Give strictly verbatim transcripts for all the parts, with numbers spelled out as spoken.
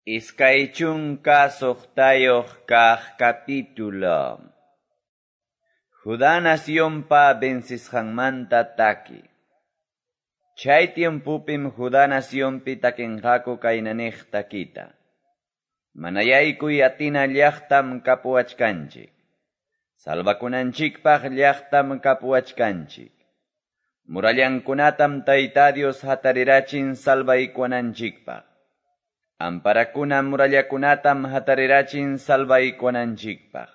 Iskay chunka suqtayuq kaq capítulo. Judá nacionpa vencisqanmanta taki. Chay tiempopim Judá nacionpi takinqaku kaynaniq takita. Manayaykuy atina llaqtam kapuwachkanchik. Salvakunanchikpaq llaqtam kapuwachkanchik. Murallankunatam Tayta Dios hatarirachin salvaykuwananchikpaq. Amparakuna murallakunatam hatarirachin salvaykuwananchikpaq.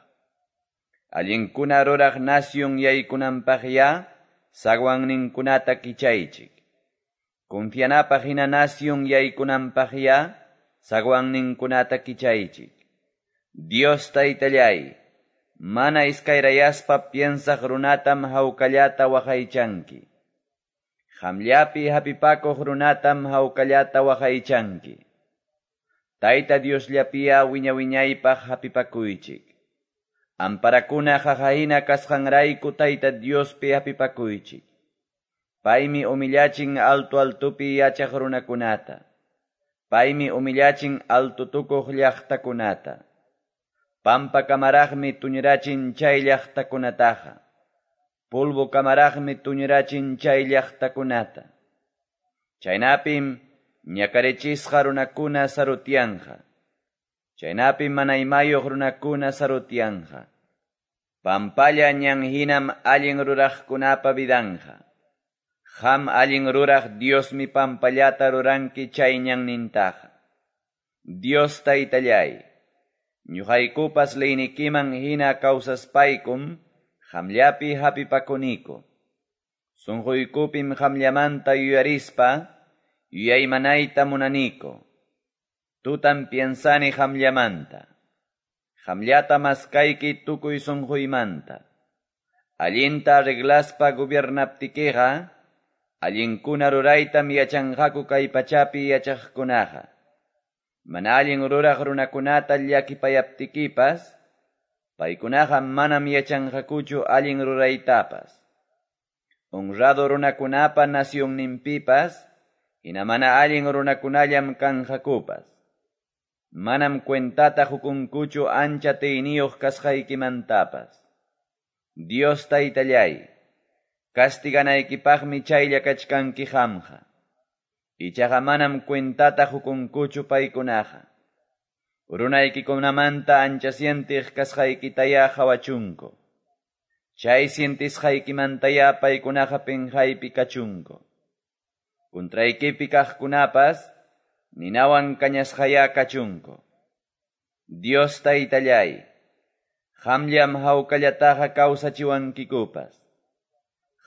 Allinkuna ruraq nación yaykunanpaq ya zaguanninkunata kichaychik. Confianapaq hina nación yaykunanpaq ya zaguanninkunata kichaychik. Dios Taytallay, mana iskayrayaspa piensaq runatam hawkallata waqaychanki. Qamllapi hapipakuq runatam hawkallata waqaychanki. Tayta Diosllapia wiña-wiñaypaq hapipakuychik. Amparakuna qaqahina kasqanrayku Tayta Diospi hapipakuychik. Paymi humillachin alto altopi yachaq runakunata. Paymi humillachin alto tukuq llaqtakunata. Pampa kamaraqmi tuñirachin chay llaqtakunataqa. Polvo kamaraqmi tuñirachin chay llaqtakunata. Chaynapim ñakarichisqa runakuna sarutianqa. Chaynapim mana imayuq runakuna sarutianqa. Pampalla ñan hinam allin ruraqkunapa vidanqa. Qam allin ruraq Diosmi pampallata ruranki chay ñannintaqa. Dios Taytallay, ñuqaykupas leynikiman hina kawsaspaykum qamllapi hapipakuniku. Sunquykupim qamllamanta yuyarispa yuyaymanayta munaniku. Tutan piensani qamllamanta. Qamllata maskayki tukuy sunquymanta. Allinta arreglaspa gobiernaptikiqa, allinkuna ruraytam yachanqaku kay pachapi yachaqkunaqa. Mana allin ruraq runakunata llakipayaptikipas, paykunaqa manam yachanqakuchu allin ruraytapas. Honrado runakunapa nacionninpipas, hina mana allin runakunallam kanqakupas. Manam cuentata hukunkuchu ancha tiyniyuq kasqaykimantapas. Dios Taytallay, castiganaykipaqmi chaylla kachkanki qamqa. Ichaqa manam cuentata hukunkuchu paykunaqa. Runaykikunamanta ancha sientiq kasqaykitaya qhawachunku. Chay sientisqaykimantaya paykunaqa pinqaypi kachunku. Contraykipi kaqkunapas ninawan kañasqaya kachunku. Dios Taytallay, qamllam hawkallataqa kawsachiwankikupas.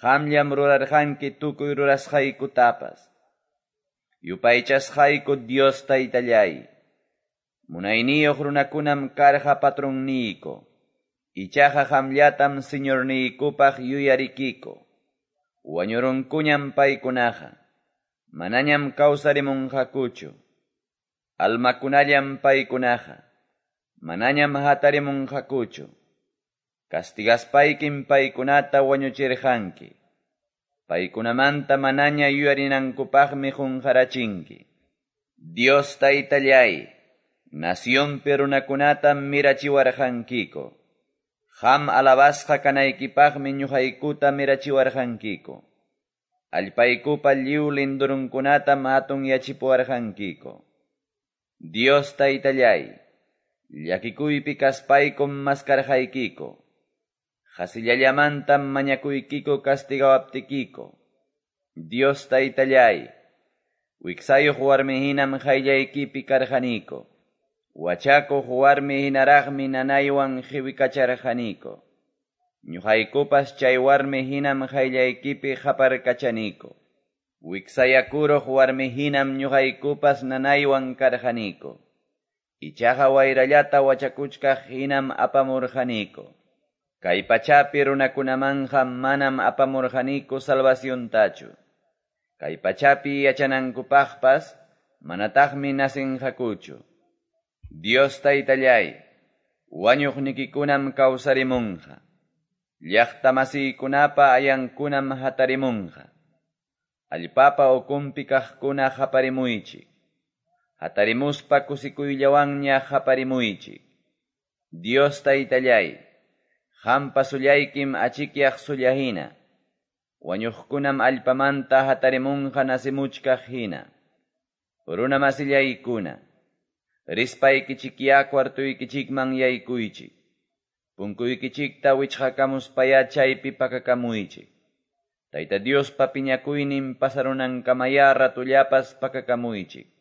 Qamllam rurarqanki tukuy rurasqaykutapas. Yupaychasqayku Dios Taytallay, munayniyuq runakunam karqa patronniyku. Ichaqa qamllatam Señorniykupaq yuyarikiku. Wañurunkuñam paykunaqa. Manañam kawsarimunqakuchu. Almakunallam paykunaqa. Manañam hatarimunqakuchu. Castigaspaykim paykunata wañuchirqanki. Paykunamanta manaña yuyarinankupaqmi qunqarachinki. Dios Taytallay, nacionpi runakunatam mirachiwarqankiku. Qam alabasqa kanaykipaqmi ñuqaykuta mirachiwarqankiku. Allpaykupa lliw lindurunkunatam hatun yachipuwarqankiku. Dios Taytallay, llakikuypi kaspaykum maskarqaykiku. Qasillallamantam mañakuykiku castigawaptikiku. Dios Taytallay, wiksayuq warmi hinam qayllaykipi karqaniku. Wachakuq warmi hinaraqmi nanaywan qiwikacharqaniku. Ñuqaykupas chay warmi hinam qayllaykipi qaparkachaniku. Wiksayakuruq warmi hinam ñuqaykupas nanaywan karqaniku. Ichaqa wayrallata wachakuchkaq hinam apamurqaniku. Kay pachapi runakunamanqa manam apamurqaniku salvaciontachu. Kay pachapi yachanankupaqpas manataqmi nasinqakuchu. Dios Taytallay, wañuqnikikunam kawsarimunqa. Llaqta masiykunapa ayankunam hatarimunqa. Allpapa ukunpi kaqkuna qaparimuychik. Hatarimuspa kusikuyllawanña qaparimuychik. Dios Taytalláy, qampa sullaykim achikyaq sulla hina. Wañuqkunam allpamanta hatarimunqa nacemuchkaq hina. Runamasillaykuna, rispaykichikyá cuartoykichikman yaykuychik. Punkuykichikta wichqakamuspayá chaypi pakakamuychik. Tayta Diospa piñakuynin pasarunankamayá ratullapas pakakamuychik.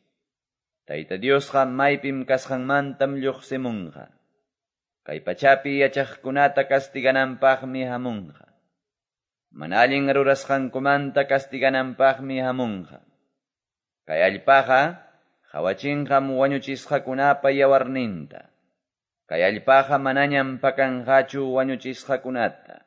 Tayta Diosqa maypim kasqanmantam lluqsimunqa. Kay pachapi yachaqkunata castigananpaqmi hamunqa. Mana allin rurasqankumanta castigananpaqmi hamunqa. Kay allpaqa qawachinqam wañuchisqakunapa yawarninta. Kay allpaqa manañam pakanqachu wañuchisqakunata.